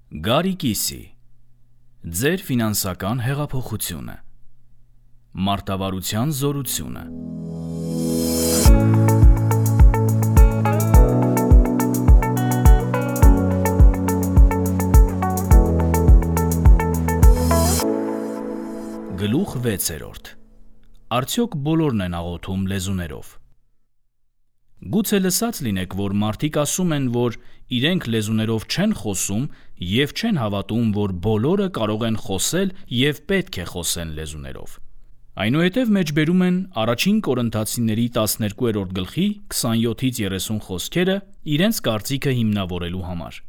Գարիկիսի ձեր ֆինանսական հեղափոխությունը, մարտավարության զորությունը։ Գլուխ 6. Արդյոք բոլորն են աղոթում լեզուներով։ Գուցե լսած լինեք, որ մարդիկ ասում են, որ իրենք լեզուներով չեն խոսում և չեն հավատում, որ բոլորը կարող են խոսել և պետք է խոսեն լեզուներով։ Այնուհետև մեջբերում են առաջին Կորինթացիների 12-րդ գլխի 27-30 խոսքերը իրենց կարծիքը հիմնավորելու համար։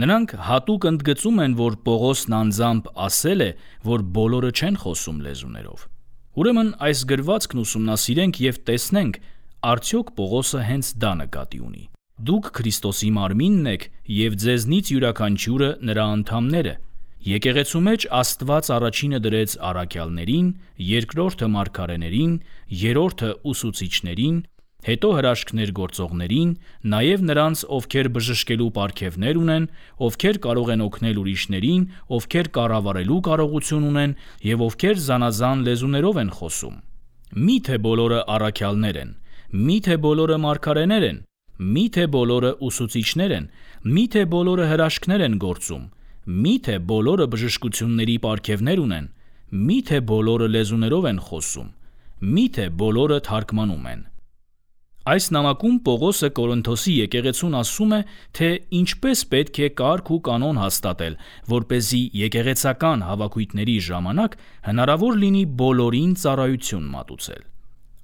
Նրանք հատուկ ընդգծում են, որ Պողոսն անձամբ ասել է, որ բոլորը չեն խոսում լեզուներով։ Ուրեմն այս գրվածքն ուսումնասիրենք և տեսնենք, արդյոք Պողոսը հենց դա նկատի ունի։ Դուք Քրիստոսի մարմինն եք և ձեզնից յուրաքանչյուրը նրա անդամները։ Եկեղեցու մեջ Աստված առաջինը դրեց առաքյալներին, երկրորդը մարգարեներին, երրորդը ուսուցիչներին, հետո հրաշքներ գործողներին, նաև նրանց, ովքեր բժշկելու պարգևներ ունեն, ովքեր կարող են օգնել ուրիշներին, ովքեր կառավարելու կարողություն ունեն և ովքեր զանազան լեզուներով են խոսում։ Միթե բոլորը առաքյալներ են, միթե բոլորը մարգարեներ են, միթե բոլորը ուսուցիչներ են, միթե բոլորը հրաշքներ են գործում, միթե բոլորը բժշկությունների պարգևներ ունեն, միթե բոլորը լեզուներով են խոսում, միթե բոլորը թարգմանում են։ Այս նամակում Պողոսը Կորինթոսի եկեղեցուն ասում է, թե ինչպես պետք է կարգ ու կանոն հաստատել, որպեսզի եկեղեցական հավաքույթների ժամանակ հնարավոր լինի բոլորին ծառայություն մատուցել։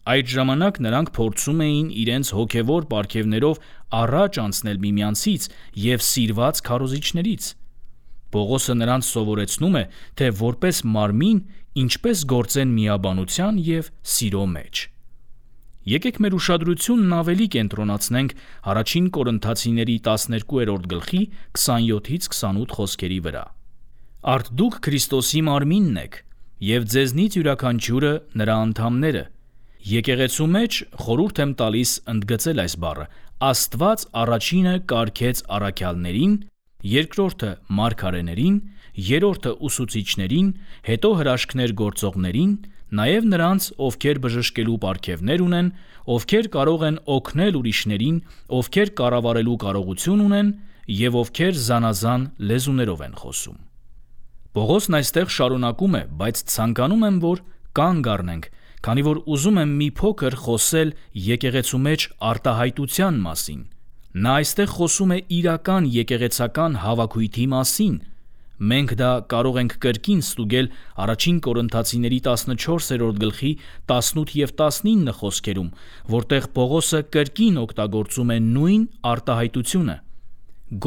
Այդ ժամանակ նրանք փորձում էին իրենց հոգևոր պարգևներով առաջ անցնել միմյանցից և սիրված քարոզիչներից։ Պողոսը նրանց սովորեցնում է, թե որպես մարմին ինչպես գործեն միաբանության և սիրո մեջ։ Եկեք մեր ուշադրությունն ավելի կենտրոնացնենք առաջին Կորինթացիների 12-րդ գլխի 27-28 խոսքերի վրա։ Արդ դուք Քրիստոսի մարմինն եք, և ձեզնից յուրաքանչյուրը նրա անդամները։ Եկեղեցու մեջ խորհուրդ եմ տալիս ընդգծել այս բառը. Աստված առաջինը կարգեց առաքյալներին, երկրորդը մարգարեներին, երրորդը ուսուցիչներին, հետո հրաշքներ գործողներին, նաև նրանց, ովքեր բժշկելու պարգևներ ունեն, ովքեր կարող են օգնել ուրիշներին, ովքեր կառավարելու կարողություն ունեն և ովքեր զանազան լեզուներով են խոսում։ Պողոսն այստեղ շարունակում է, բայց ցանկանում եմ, որ կանգ առնենք, քանի որ ուզում եմ մի փոքր խոսել եկեղեցու մեջ արտահայտության մասին։ Նա այստեղ խոսում է իրական եկեղեցական հավաքույթի մասին։ Մենք դա կարող ենք կրկին ստուգել առաջին Կորինթացիների 14-րդ գլխի 18 և 19 խոսքերում, որտեղ Պողոսը կրկին օգտագործում է նույն արտահայտությունը։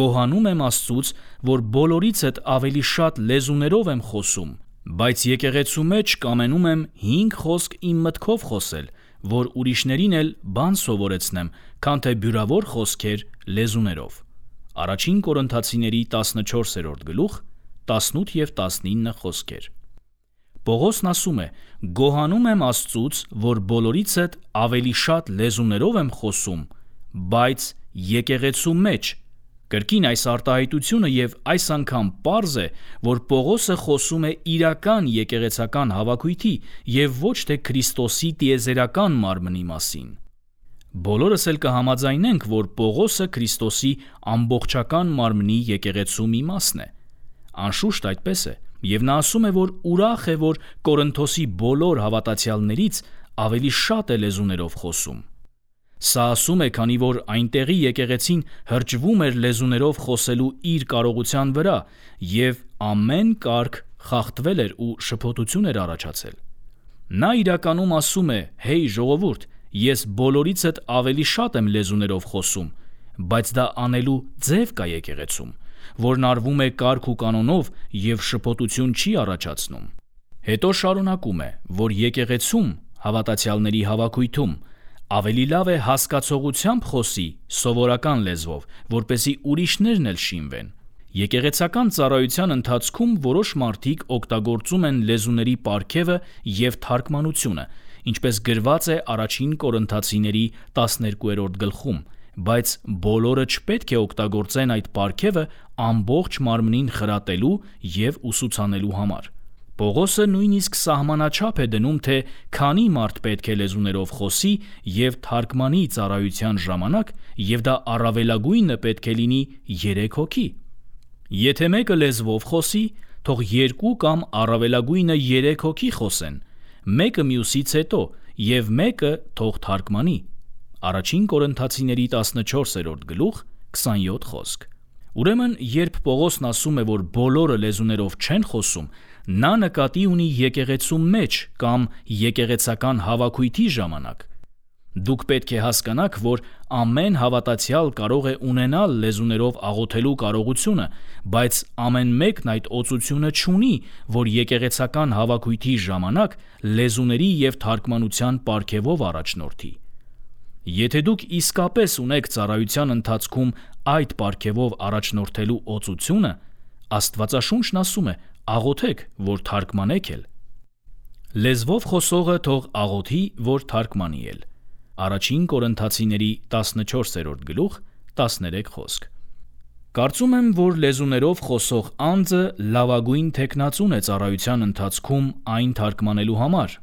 Գոհանում եմ Աստծուց, որ բոլորից հետ ավելի շատ լեզուներով եմ խոսում, բայց եկեղեցու մեջ կամենում եմ 5 խոսք իմ մտքով խոսել, որ ուրիշներին էլ բան սովորեցնեմ, քան թե բյուրավոր խոսքեր լեզուներով։ Առաջին Կորինթացիների 14-րդ գլուխ 18 և 19 խոսքեր։ Պողոսն ասում է. «Գոհանում եմ Աստծուց, որ բոլորից հետ ավելի շատ լեզուներով եմ խոսում, բայց եկեղեցու մեջ...» Կրկին այս արտահայտությունը և այս անգամ պարզ է, որ Պողոսը խոսում է իրական եկեղեցական հավաքույթի և ոչ թե Քրիստոսի տիեզերական մարմնի մասին։ Բոլորս էլ կհամաձայնենք, որ Պողոսը Քրիստոսի ամբողջական մարմնի եկեղեցու մի մասն է։ Անշուշտ այդպես է, և նա ասում է, որ ուրախ է, որ Կորինթոսի բոլոր հավատացյալներից ավելի շատ է լեզուներով խոսում։ Սա ասում է, քանի որ այնտեղի եկեղեցին հրճվում էր լեզուներով խոսելու իր կարողության վրա և ամեն կարգ խախտվել էր ու շփոթություն էր առաջացել։ Նա իրականում ասում է. «Հեյ ժողովուրդ, ես բոլորից հետ ավելի շատ եմ լեզուներով խոսում, բայց դա անելու ձև կա եկեղեցում, որն արվում է կարգ ու կանոնով և շփոթություն չի առաջացնում»։ Հետո շարունակում է, որ եկեղեցում, հավատացյալների հավաքույթում, ավելի լավ է հասկացողությամբ խոսի սովորական լեզվով, որպեսզի ուրիշներն էլ շինվեն։ Եկեղեցական ծառայության ընթացքում որոշ մարդիկ օգտագործում են լեզուների պարգևը և թարգմանությունը, ինչպես գրված է առաջին Կորինթացիների 12-րդ գլխում, բայց բոլորը չպետք է օգտագործեն այդ պարգևը ամբողջ մարմնին խրատելու և ուսուցանելու համար։ Պողոսը նույնիսկ սահմանաչափ է դնում, թե քանի մարդ պետք է լեզուներով խոսի և թարգմանի ծառայության ժամանակ, և դա առավելագույնը պետք է լինի 3 հոգի։ Եթե մեկը լեզվով խոսի, թող 2 կամ առավելագույնը 3 հոգի խոսեն, մեկը մյուսից հետո, և մեկը թող թարգմանի։ Առաջին Կորինթացիների 14-րդ գլուխ 27 խոսք։ Ուրեմն, երբ Պողոսն ասում է, որ բոլորը լեզուներով չեն խոսում, նա նկատի ունի եկեղեցու մեջ կամ եկեղեցական հավաքույթի ժամանակ։ Դուք պետք է հասկանաք, որ ամեն հավատացյալ կարող է ունենալ լեզուներով աղոթելու կարողությունը, բայց ամեն մեկն այդ օծությունը չունի, որ եկեղեցական հավաքույթի ժամանակ լեզուների և թարգմանության պարգևով առաջնորդի։ Եթե դուք իսկապես ունեք ծառայության ընթացքում այդ պարգևով առաջնորդելու օծությունը, Աստվածաշունչն ասում է. աղոթեք, որ թարգմանեք էլ։ Լեզվով խոսողը թող աղոթի, որ թարգմանի էլ։ Առաջին Կորինթացիների 14-րդ գլուխ 13 խոսք։ Կարծում եմ, որ լեզուներով խոսող անձը լավագույն թեկնածուն է ծառայության ընթացքում այն թարգմանելու համար,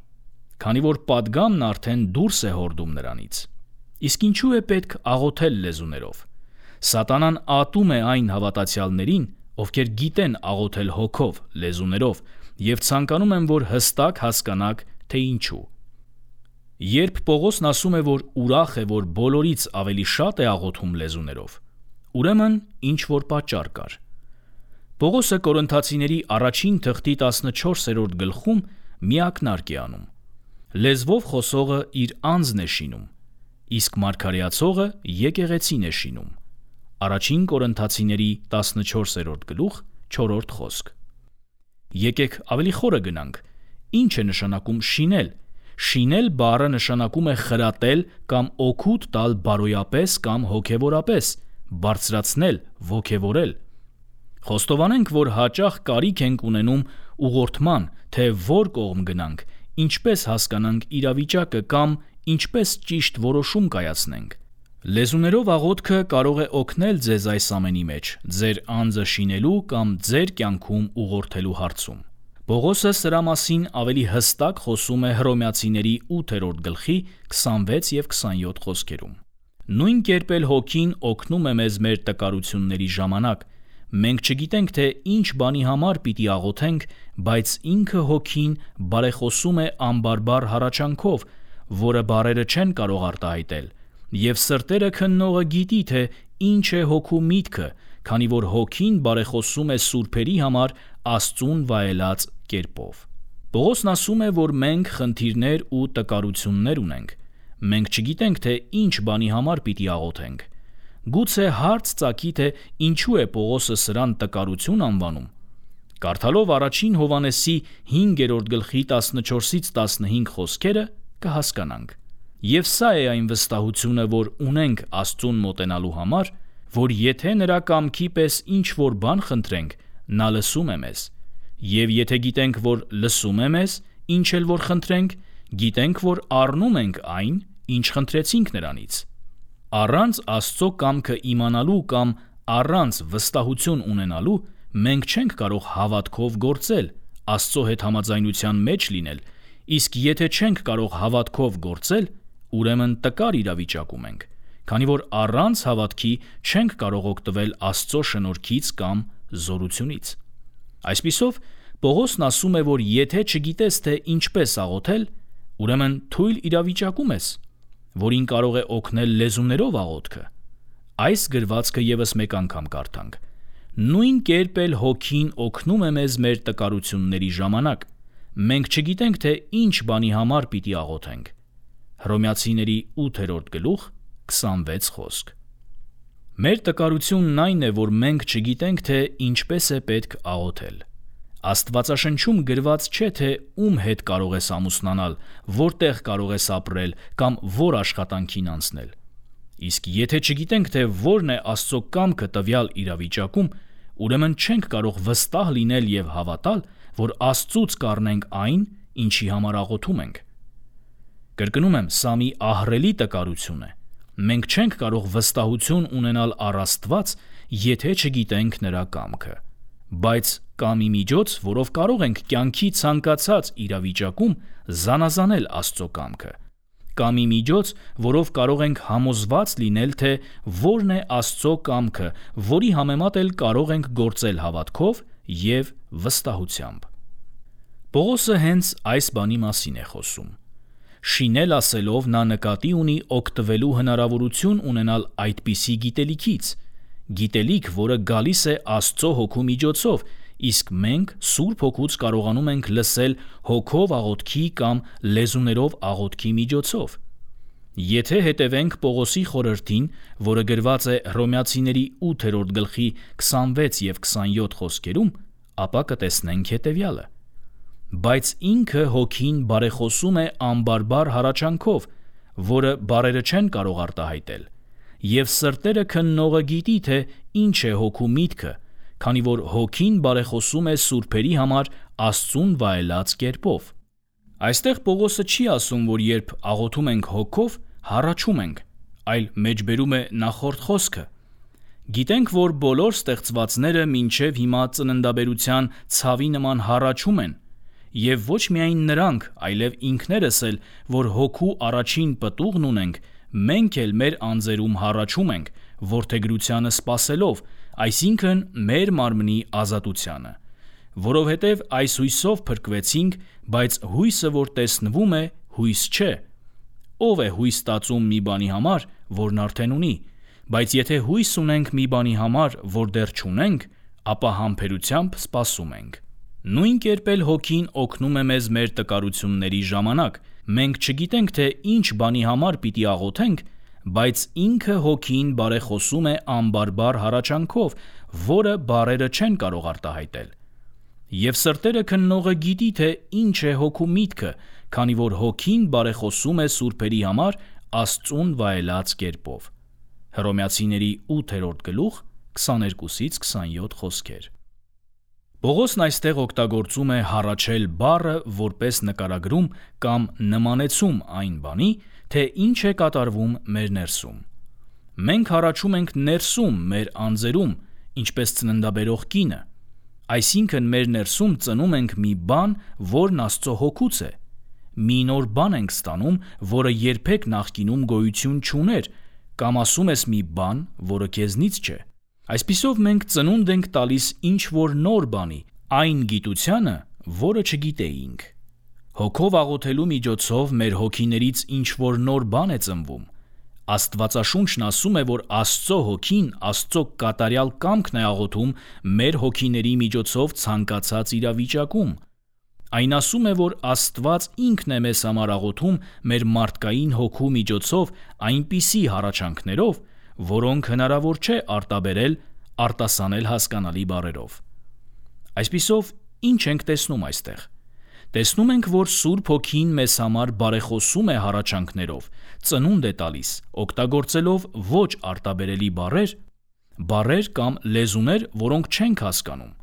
քանի որ պատգամն արդեն դուրս է հորդում նրանից։ Իսկ ինչու է պետք աղոթել լեզուներով։ Սատանան ատում է այն հավատացյալներին, ովքեր գիտեն աղոթել հոգով, լեզուներով, և ցանկանում են, որ հստակ հասկանաք, թե ինչու։ Երբ Պողոսն ասում է, որ ուրախ է, որ բոլորից ավելի շատ է աղոթում լեզուներով, ուրեմն ինչ որ պատճառ կար։ Պողոսը Կորինթացիների առաջին թղթի 14-րդ գլխում մի ակնարկ է անում։ Լեզվով խոսողը իր անձն է շինում, իսկ մարգարեացողը եկեղեցին է շինում։ Առաջին Կորինթացիների 14-րդ գլուխ 4-րդ խոսք։ Եկեք ավելի խորը գնանք։ Ինչ է նշանակում շինել։ Շինել բառը նշանակում է խրատել կամ օգուտ տալ բարոյապես կամ հոգևորապես, բարձրացնել, ոգևորել։ Խոստովանենք, որ հաճախ կարիք ենք ունենում ուղղորդման, թե որ կողմ գնանք, ինչպես հասկանանք իրավիճակը կամ ինչպես ճիշտ որոշում կայացնենք։ Լեզուներով աղոթքը կարող է օգնել ձեզ այս ամենի մեջ, ձեր անձը շինելու կամ ձեր կյանքում ուղղորդելու հարցում։ Պողոսը սրա մասին ավելի հստակ խոսում է Հռոմեացիների 8-րդ գլխի 26 և 27 խոսքերում։ Նույն կերպ էլ Հոգին օգնում է մեզ մեր տկարությունների ժամանակ։ Մենք չգիտենք, թե ինչ բանի համար պիտի աղոթենք, բայց ինքը Հոգին բարեխոսում է անբարբար հառաչանքով, որը բառերը չեն կարող արտահայտել, և սրտերը քննողը գիտի, թե ինչ է Հոգու միտքը, քանի որ Հոգին բարեխոսում է սուրբերի համար Աստծուն վայելած կերպով։ Պողոսն ասում է, որ մենք խնդիրներ ու տկարություններ ունենք։ Մենք չգիտենք, թե ինչ բանի համար պիտի աղոթենք։ Գուցե հարց ծագի, թե ինչու է Պողոսը սրան տկարություն անվանում։ Կարդալով առաջին Հովհաննեսի 5-րդ գլխի 14-ից 15 խոսքերը կհասկանանք։ Եվ սա է այն վստահությունը, որ ունենք Աստծուն մոտենալու համար, որ եթե նրա կամքի պես ինչ-որ բան խնդրենք, նա լսում է մեզ։ Եվ եթե գիտենք, որ լսում է մեզ, ինչ էլ որ խնդրենք, գիտենք, որ առնում ենք այն, ինչ խնդրեցինք նրանից։ Առանց Աստծո կամքը իմանալու կամ առանց վստահություն ունենալու մենք չենք կարող հավատքով գործել, Աստծո հետ համաձայնության մեջ լինել, իսկ եթե չենք կարող հավատքով գործել, ուրեմն տկար իրավիճակում ենք, քանի որ առանց հավատքի չենք կարող օգտվել Աստծո շնորհքից կամ զորությունից։ Այսպիսով, Պողոսն ասում է, որ եթե չգիտես, թե ինչպես աղոթել, ուրեմն թույլ իրավիճակում ես, որին կարող է օգնել լեզուներով աղոթքը։ Այս գրվածքը ևս մեկ անգամ կարդանք։ Նույն կերպ էլ Հոգին օգնում է մեզ մեր տկարությունների ժամանակ։ Մենք չգիտենք, թե ինչ բանի համար պիտի աղոթենք։ Հռոմեացիների 8-րդ գլուխ 26 խոսք։ Մեր տկարությունն այն է, որ մենք չգիտենք, թե ինչպես է պետք աղոթել։ Աստվածաշնչում գրված չէ, թե ում հետ կարող ես ամուսնանալ, որտեղ կարող ես ապրել կամ որ աշխատանքին անցնել։ Իսկ եթե չգիտենք, թե որն է Աստծո կամքը տվյալ իրավիճակում, ուրեմն չենք կարող վստահ լինել և հավատալ, որ Աստծուց կառնենք այն, ինչի համար աղոթում ենք։ Կրկնում եմ, սա մի ահռելի տկարություն է։ Մենք չենք կարող վստահություն ունենալ առ Աստված, եթե չգիտենք նրա կամքը։ Բայց կա մի միջոց, որով կարող ենք կյանքի ցանկացած իրավիճակում զանազանել Աստծո կամքը։ Կա մի միջոց, որով կարող ենք համոզված լինել, թե որն է Աստծո կամքը, որի համեմատ էլ կարող ենք գործել հավատքով և վստահությամբ։ Պողոսը հենց այս բանի մասին է խոսում։ Շինել ասելով նա նկատի ունի օգտվելու հնարավորություն ունենալ այդպիսի գիտելիքից, գիտելիք, որը գալիս է Աստծո հոգու միջոցով, իսկ մենք Սուրբ Հոգուց կարողանում ենք լսել հոգով աղոթքի կամ լեզուներով աղոթքի միջոցով։ Եթե հետևենք Պողոսի խորհրդին, որը գրված է Հռոմեացիների 8-րդ գլխի 26 և 27 խոսքերում, ապա կտեսնենք հետևյալը. բայց ինքը հոգին բարեխոսում է անբարբար հառաչանքով, որը բառերը չեն կարող արտահայտել, և սրտերը քննողը գիտի, թե ինչ է հոգու միտքը, քանի որ հոգին բարեխոսում է սուրբերի համար Աստծուն վայելած կերպով։ Այստեղ Պողոսը չի ասում, որ երբ աղոթում ենք հոգով, հառաչում ենք, այլ մեջբերում է նախորդ խոսքը։ Գիտենք, որ բոլոր ստեղծվածները մինչև հիմա ծննդաբերության ցավի նման հառաչում են, և ոչ միայն նրանք, այլև ինքներս էլ, որ հոգու առաջին պտուղն ունենք, մենք էլ մեր անձերում հառաչում ենք, որդեգրությանը սպասելով, այսինքն մեր մարմնի ազատությանը, որովհետև այս հույսով փրկվեցինք, բայց հույսը, որ տեսնվում է, հույս չէ։ Ով է հույս ստացում մի բանի համար, որն արդեն ունի, բայց եթե հույս ունենք մի բանի համար, որ դեռ չունենք, ապա համբերությամբ սպասում ենք։ Նույն կերպ էլ հոգին օգնում է մեզ մեր տկարությունների ժամանակ։ Մենք չգիտենք, թե ինչ բանի համար պիտի աղոթենք, բայց ինքը հոգին բարեխոսում է անբարբար հառաչանքով, որը բառերը չեն կարող արտահայտել։ Եվ սրտերը քննողը գիտի, թե ինչ է հոգու միտքը, քանի որ հոգին բարեխոսում է սուրբերի համար Աստծուն վայելած կերպով։ Հռոմեացիների 8-րդ գլուխ 22-27 խոսքեր։ Պողոսն այստեղ օգտագործում է հառաչել բառը որպես նկարագրում կամ նմանեցում այն բանի, թե ինչ է կատարվում մեր ներսում։ Մենք հառաչում ենք ներսում, մեր անձերում, ինչպես ծննդաբերող կինը, այսինքն մեր ներսում ծնում ենք մի բան, որն Աստծո հոգուց է։ Մի նոր բան ենք ստանում, որը երբեք նախկինում գոյություն չուներ, կամ ասում ես մի բան, որը քեզնից չէ։ Այսպիսով մենք ծնունդ ենք տալիս ինչ-որ նոր բանի, այն գիտությանը, որը չգիտեինք։ Հոգով աղոթելու միջոցով մեր հոգիներից ինչ-որ նոր բան է ծնվում։ Աստվածաշունչն ասում է, որ Աստծո հոգին Աստծո կատարյալ կամքն է աղոթում մեր հոգիների միջոցով ցանկացած իրավիճակում։ Այն ասում է, որ Աստված ինքն է մեզ համար աղոթում մեր մարդկային հոգու միջոցով այնպիսի հառաչանքներով, որոնք հնարավոր չէ արտաբերել, արտասանել հասկանալի բառերով։ Այսպիսով, ինչ ենք տեսնում այստեղ։ Տեսնում ենք, որ Սուրբ Հոգին մեզ համար բարեխոսում է հառաչանքներով, ծնունդ է տալիս, օգտագործելով ոչ արտաբերելի բառեր կամ լեզուներ, որոնք չենք հասկանում,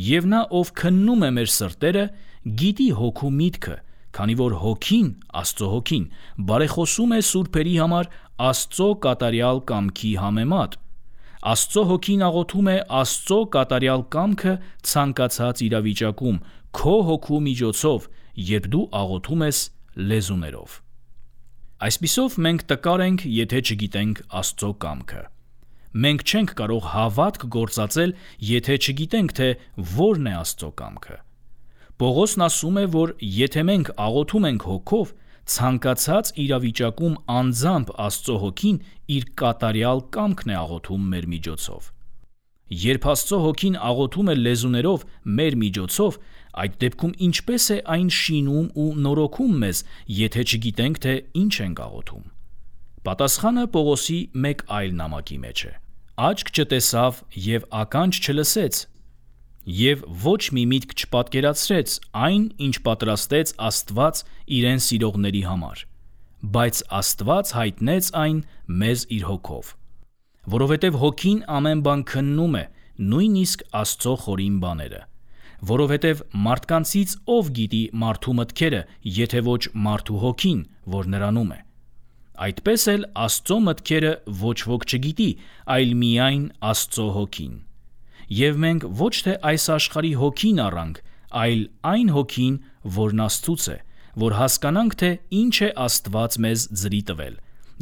և նա, ով քննում է մեր սրտերը, գիտի հոգու միտքը, քանի որ հոգին, Աստծո հոգին, բարեխոսում է սուրբերի համար Աստծո կատարյալ կամքի համեմատ։ Աստծո հոգին աղոթում է Աստծո կատարյալ կամքը ցանկացած իրավիճակում, քո հոգու միջոցով, երբ դու աղոթում ես լեզուներով։ Այսպիսով մենք տկար ենք, եթե չգիտենք Աստծո կամքը։ Մենք չենք կարող հավատք գործածել, եթե չգիտենք, թե որն է Աստծո կամքը։ Պողոսն ասում է, որ եթե մենք աղոթում ենք հոգով, ցանկացած իրավիճակում անձամբ Աստծո հոգին իր կատարյալ կամքն է աղոթում մեր միջոցով։ Երբ Աստծո հոգին աղոթում է լեզուներով մեր միջոցով, այդ դեպքում ինչպես է այն շինում ու նորոգում մեզ, եթե չգիտենք, թե ինչ ենք աղոթում։ Պատասխանը Պողոսի մեկ այլ նամակի մեջ է. «Աչք չտեսավ և ականջ չլսեց, և ոչ մի միտք չպատկերացրեց այն, ինչ պատրաստեց Աստված իրեն սիրողների համար, բայց Աստված հայտնեց այն մեզ իր հոգով, որովհետև հոգին ամեն բան քննում է, նույնիսկ Աստծո խորին բաները, որովհետև մարդկանցից ով գիտի մարդու մտքերը, եթե ոչ մարդու հոգին, որ նրանում է։ Այդպես էլ Աստծո մտքերը ոչ ոք չգիտի, այլ միայն Աստծո հոգին։ Եվ մենք ոչ թե այս աշխարհի հոգին առանք, այլ այն հոգին, որն Աստծուց է, որ հասկանանք, թե ինչ է Աստված մեզ ձրի տվել։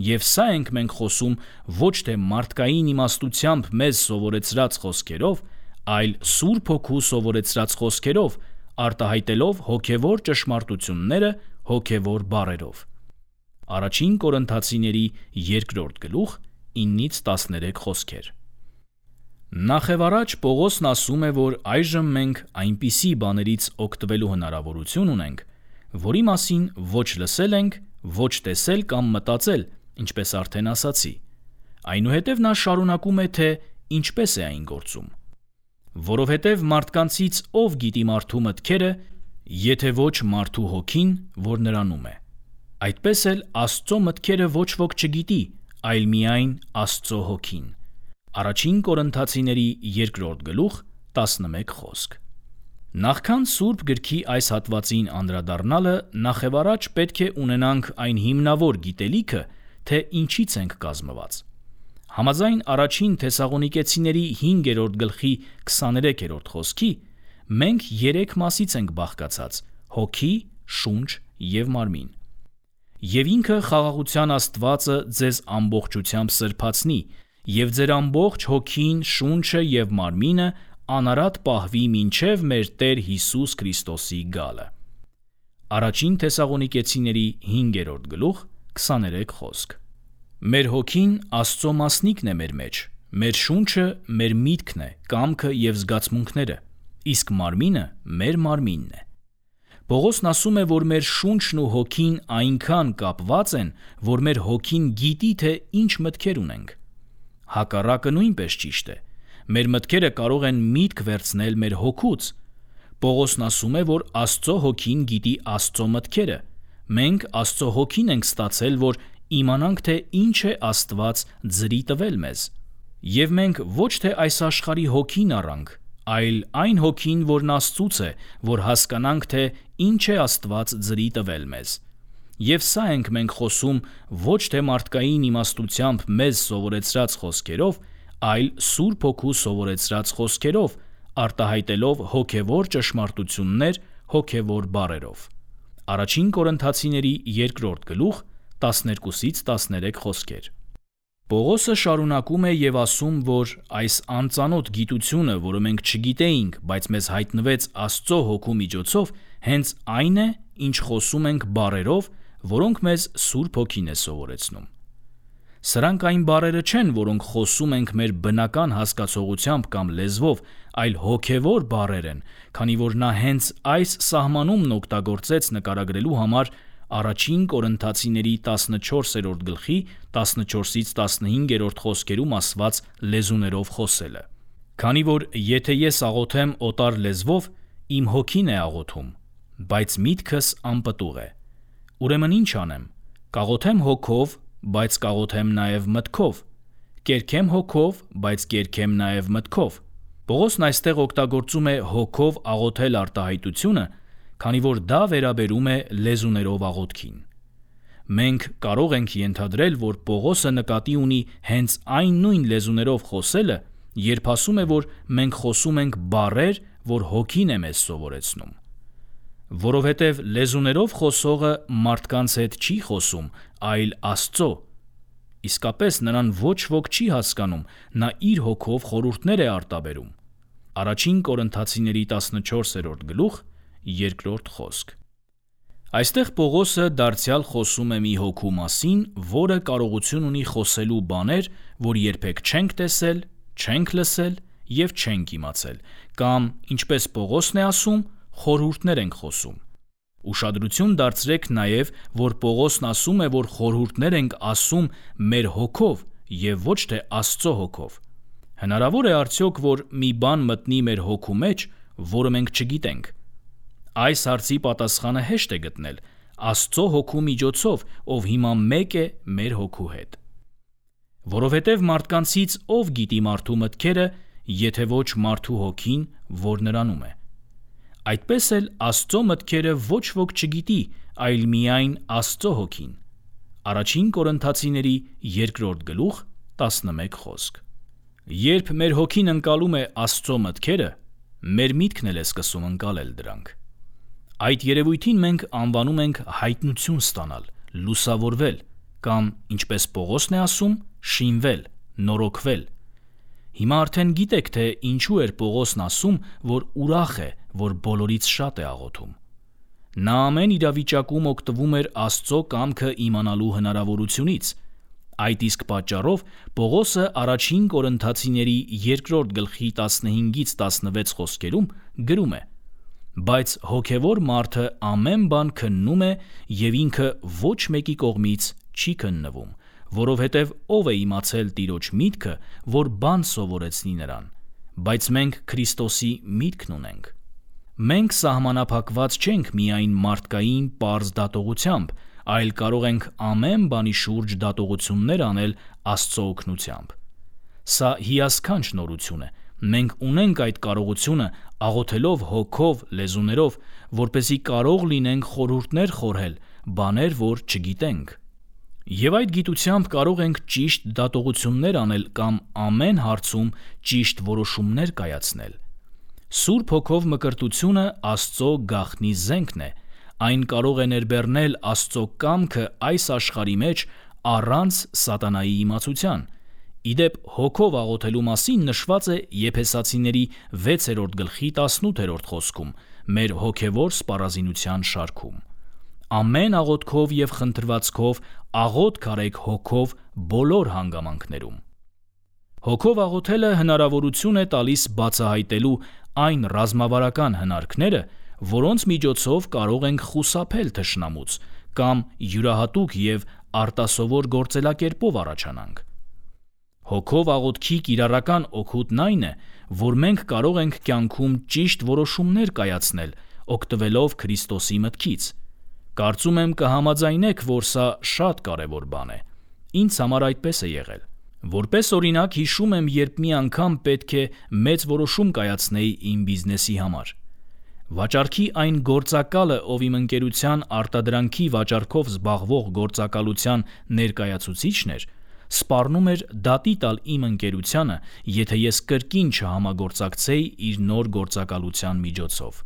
Եվ սա ենք մենք խոսում ոչ թե մարդկային իմաստությամբ մեզ սովորեցրած խոսքերով, այլ Սուրբ Հոգու սովորեցրած խոսքերով, արտահայտելով հոգևոր ճշմարտությունները հոգևոր բառերով։ Առաջին Կորինթացիների 2 գլուխ 9-13 խոսքեր։ Նախևառաջ Պողոսն ասում է, որ այժմ մենք այնպիսի բաներից օգտվելու հնարավորություն ունենք, որի մասին ոչ լսել ենք, ոչ տեսել կամ մտածել, ինչպես արդեն ասացի։ Այնուհետև նա շարունակում է, թե ինչպես է այն գործում։ Որովհետև մարդկանցից ով գիտի մարդու մտքերը, եթե ոչ մարդու հոգին, որ նրանում է։ Այդպես էլ Աստծո մտքերը ոչ ոք չգիտի, այլ միայն Աստծո հոգին։ Առաջին Կորինթացիների 2 գլուխ 11 խոսք։ Նախքան Սուրբ գրքի այս հատվածին անդրադառնալը, նախևառաջ պետք է ունենանք այն հիմնավոր գիտելիքը, թե ինչից ենք կազմված։ Համաձայն առաջին Թեսաղոնիկեցիների 5 գլխի 23 խոսքի, մենք 3 մասից ենք բաղկացած՝ հոգի, շունչ և մարմին։ Եվ ինքը խաղաղության Աստվածը ձեզ ամբողջությամբ սրբացնի, և ձեր ամբողջ հոգին, շունչը և մարմինը անարատ պահվի մինչև մեր Տեր Հիսուս Քրիստոսի գալը։ Առաջին Թեսաղոնիկեցիների 5 գլուխ 23 խոսք։ Մեր հոգին Աստծո մասնիկն է մեր մեջ, մեր շունչը մեր միտքն է, կամքը և զգացմունքները, իսկ մարմինը մեր մարմինն է։ Պողոսն ասում է, որ մեր շունչն ու հոգին այնքան կապված են, որ մեր հոգին գիտի, թե ինչ մտքեր ունենք։ Հակառակը նույնպես ճիշտ է։ Մեր մտքերը կարող են միտք վերցնել մեր հոգուց։ Պողոսն ասում է, որ Աստծո հոգին գիտի Աստծո մտքերը։ Մենք Աստծո հոգին ենք ստացել, որ իմանանք, թե ինչ է Աստված ձրի տվել մեզ։ Եվ մենք ոչ թե այս աշխարհի հոգին առանք, այլ այն հոգին, որն Աստծուց է, որ հասկանանք, թե ինչ է Աստված ձրի տվել մեզ։ Եվ սա ենք մենք խոսում ոչ թե մարդկային իմաստությամբ մեզ սովորեցրած խոսքերով, այլ Սուրբ Հոգու սովորեցրած խոսքերով, արտահայտելով հոգևոր ճշմարտություններ հոգևոր բառերով։ Առաջին Կորինթացիների 2 գլուխ 12-13 խոսքեր։ Պողոսը շարունակում է և ասում, որ այս անծանոթ գիտությունը, որը մենք չգիտեինք, բայց մեզ հայտնվեց Աստծո Հոգու միջոցով, հենց այն է, ինչ խոսում ենք բառերով, որոնք մեզ Սուրբ Հոգին է սովորեցնում։ Սրանք այն բառերը չեն, որոնք խոսում ենք մեր բնական հասկացողությամբ կամ լեզվով, այլ հոգևոր բառեր են, քանի որ նա հենց այս սահմանումն օգտագործեց նկարագրելու համար առաջին Կորինթացիների 14 գլխի 14-15 խոսքերում ասված լեզուներով խոսելը։ Քանի որ եթե ես աղոթեմ օտար լեզվով, իմ հոգին է աղոթում, բայց միտքս անպտուղ է։ Ուրեմն ինչ անեմ։ Կաղոթեմ հոգով, բայց կաղոթեմ նաև մտքով։ Կերքեմ հոգով, բայց կերքեմ նաև մտքով։ Պողոսն այստեղ օգտագործում է հոգով աղոթել արտահայտությունը, քանի որ դա վերաբերում է լեզուներով աղոթքին։ Մենք կարող ենք ենթադրել, որ Պողոսը նկատի ունի հենց այն նույն լեզուներով խոսելը, երբ ասում է, որ մենք խոսում ենք բառեր, որ հոգին է մեզ սովորեցնում։ Որովհետև լեզուներով խոսողը մարդկանց հետ չի խոսում, այլ Աստծո։ Իսկապես նրան ոչ ոք չի հասկանում, նա իր հոգով խորհուրդներ է արտաբերում։ Առաջին Կորինթացիների 14 գլուխ 2 խոսք։ Այստեղ Պողոսը դարձյալ խոսում է մի հոգու մասին, որը կարողություն ունի խոսելու բաներ, որ երբեք չենք տեսել, չենք լսել և չենք իմացել, կամ, ինչպես Պողոսն է ասում, խորհուրդներ ենք խոսում։ Ուշադրություն դարձրեք նաև, որ Պողոսն ասում է, որ խորհուրդներ ենք ասում մեր հոգով և ոչ թե Աստծո հոգով։ Հնարավոր է արդյոք, որ մի բան մտնի մեր հոգու մեջ, որը մենք չգիտենք։ Այս հարցի պատասխանը հեշտ է գտնել Աստծո հոգու միջոցով, ով հիմա մեկ է մեր հոգու հետ։ Որովհետև մարդկանցից ով գիտի մարդու մտքերը, եթե ոչ մարդու հոգին, որ նրանում է։ Այդպես էլ Աստծո մտքերը ոչ ոք չգիտի, այլ միայն Աստծո հոգին։ Առաջին Կորինթացիների 2:11 խոսք։ Երբ մեր հոգին ընկալում է Աստծո մտքերը, մեր միտքն էլ է սկսում ընկալել դրանք։ Այդ երևույթին մենք անվանում ենք հայտնություն ստանալ, լուսավորվել կամ, ինչպես Պողոսն է ասում, շինվել, նորոգվել։ Հիմա արդեն գիտեք, թե ինչու էր Պողոսն ասում, որ ուրախ է, որ բոլորից շատ է աղոթում։ Նա ամեն իրավիճակում օգտվում էր Աստծո կամքը իմանալու հնարավորությունից։ Այդ իսկ պատճառով Պողոսը առաջին Կորինթացիների 2:15-16 խոսքերում գրում է. բայց հոգևոր մարդը ամեն բան քննում է և ինքը ոչ մեկի կողմից չի քննվում, որովհետև ով է իմացել Տիրոջ միտքը, որ բան սովորեցնի նրան, բայց մենք Քրիստոսի միտքն ունենք։ Մենք սահմանափակված չենք միայն մարդկային պարզ դատողությամբ, այլ կարող ենք ամեն բանի շուրջ դատողություններ անել Աստծո օգնությամբ։ Սա հիասքանչ նորություն է։ Մենք ունենք այդ կարողությունը աղոթելով հոգով, լեզուներով, որպեսզի կարող լինենք խորհուրդներ խորհել, բաներ, որ չգիտենք։ Եվ այդ գիտությամբ կարող ենք ճիշտ դատողություններ անել կամ ամեն հարցում ճիշտ որոշումներ կայացնել։ Սուրբ Հոգով մկրտությունը Աստծո գաղտնի զենքն է։ Այն կարող է ներբեռնել Աստծո կամքը այս աշխարհի մեջ առանց սատանայի իմացության։ Իդեպ հոգով աղոթելու մասին նշված է Եփեսացիների 6:18 խոսքում, մեր հոգևոր սպառազինության շարքում։ Ամեն աղոթքով և խնդրվածքով աղոթք արեք հոգով բոլոր հանգամանքներում։ Հոգով աղոթելը հնարավորություն է տալիս բացահայտելու այն ռազմավարական հնարքները, որոնց միջոցով կարող ենք խուսափել թշնամուց կամ յուրահատուկ և արտասովոր գործելակերպով առաջանանք։ Հոգով աղոթքի կիրառական օգուտն այն է, որ մենք կարող ենք կյանքում ճիշտ որոշումներ կայացնել, օգտվելով Քրիստոսի մտքից։ Կարծում եմ կհամաձայնեք, որ սա շատ կարևոր բան է։ Ինձ համար այդպես է եղել։ Որպես օրինակ հիշում եմ, երբ մի անգամ պետք է մեծ որոշում կայացնեի իմ բիզնեսի համար։ Վաճառքի այն գործակալը, ով իմ ընկերության արտադրանքի վաճառքով զբաղվող գործակալության ներկայացուցիչն էր, սպառնում էր դատի տալ իմ ընկերությանը, եթե ես կրկին չհամագործակցեի իր նոր գործակալության միջոցով։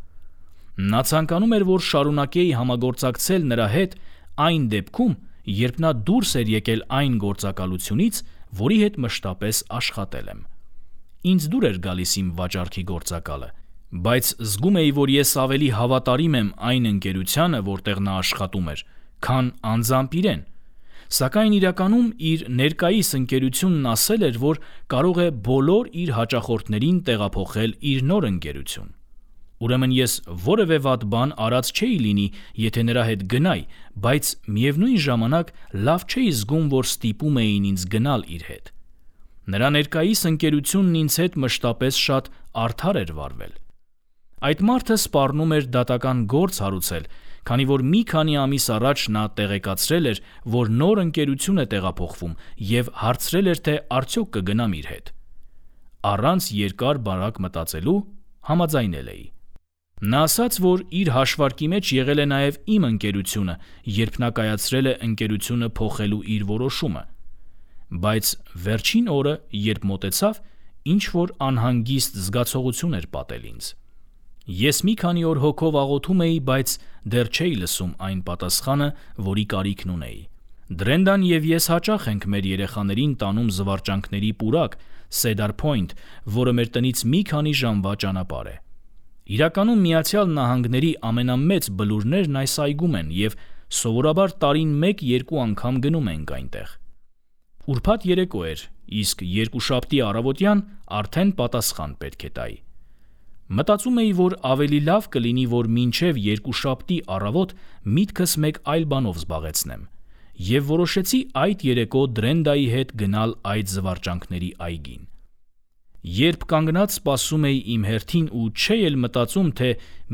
Նա ցանկանում էր, որ շարունակեի համագործակցել նրա հետ այն դեպքում, երբ նա դուրս էր եկել այն գործակալությունից, որի հետ մշտապես աշխատել եմ։ Ինձ դուր էր գալիս իմ վաճառքի գործակալը, բայց զգում էի, որ ես ավելի հավատարիմ եմ այն ընկերությանը, որտեղ նա աշխատում էր, քան անձամբ իրեն։ Սակայն իրականում իր ներկայիս ընկերությունն ասել էր, որ կարող է բոլոր իր հաճախորդներին տեղափոխել իր նոր ընկերություն։ Ուրեմն ես որևէ վատ բան արած չէի լինի, եթե նրա հետ գնայի, բայց միևնույն ժամանակ լավ չէի զգում, որ ստիպում էին ինձ գնալ իր հետ։ Նրա ներկայիս ընկերությունն ինձ հետ մշտապես շատ արդար էր վարվել։ Այդ մարդը սպառնում էր դատական գործ հարուցել, քանի որ մի քանի ամիս առաջ նա տեղեկացրել էր, որ նոր ընկերություն է տեղափոխվում և հարցրել էր, թե արդյոք կգնամ իր հետ։ Առանց երկար բարակ մտածելու համաձայնել էի։ Նա ասաց, որ իր հաշվարկի մեջ եղել է նաև իմ ընկերությունը, երբ նա կայացրել է ընկերությունը փոխելու իր որոշումը։ Բայց վերջին օրը, երբ մոտեցավ, ինչ-որ անհանգիստ զգացողություն էր պատել ինձ։ Ես մի քանի օր հոգով աղոթում էի, բայց դեռ չէի լսում այն պատասխանը, որի կարիքն ունեի։ Դրենդան և ես հաճախ ենք մեր երեխաներին տանում զվարճանքների պուրակ Cedar Point, որը մեր տնից մի քանի ժամվա ճանապարհ է։ Իրականում Միացյալ Նահանգների ամենամեծ բլուրներն այս այգում են և սովորաբար տարին 1-2 անգամ գնում ենք այնտեղ։ Ուրբաթ երեկո էր, իսկ երկուշաբթի առավոտյան արդեն պատասխան պետք է տայի։ Մտածում էի, որ ավելի լավ կլինի, որ մինչև երկուշաբթի առավոտ միտքս մեկ այլ բանով զբաղեցնեմ, և որոշեցի այդ երեկո Դրենդայի հետ գնալ այդ զվարճանքների այգին։ Երբ կանգնած սպասում էի իմ հերթին ու չէի էլ մտածում, թե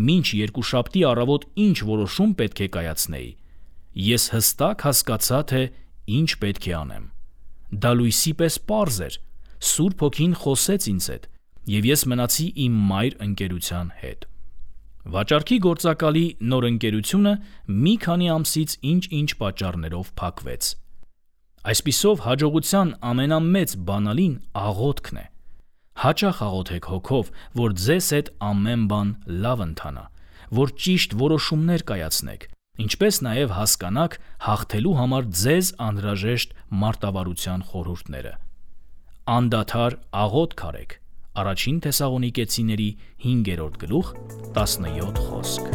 մինչ երկուշաբթի առավոտ ինչ որոշում պետք է կայացնեի, ես հստակ հասկացա, թե ինչ պետք է անեմ։ Դա լույսի պես պարզ էր, Սուրբ Հոգին խոսեց ինձ հետ, և ես մնացի իմ մայր ընկերության հետ։ Վաճառքի գործակալի նոր ընկերությունը մի քանի ամսից ինչ-ինչ պատճառներով փակվեց։ Այսպիսով հաջողության ամենամեծ բանալին աղոթքն է։ Հաճախ աղոթեք հոգով, որ ձեզ հետ ամեն բան լավ ընթանա, որ ճիշտ որոշումներ կայացնեք, ինչպես նաև հասկանաք հաղթելու համար ձեզ անհրաժեշտ մարտավարության խորհուրդները։ Անդադար աղոթք արեք։ Առաջին Թեսաղոնիկեցիների 5-րդ գլուխ 17 խոսք։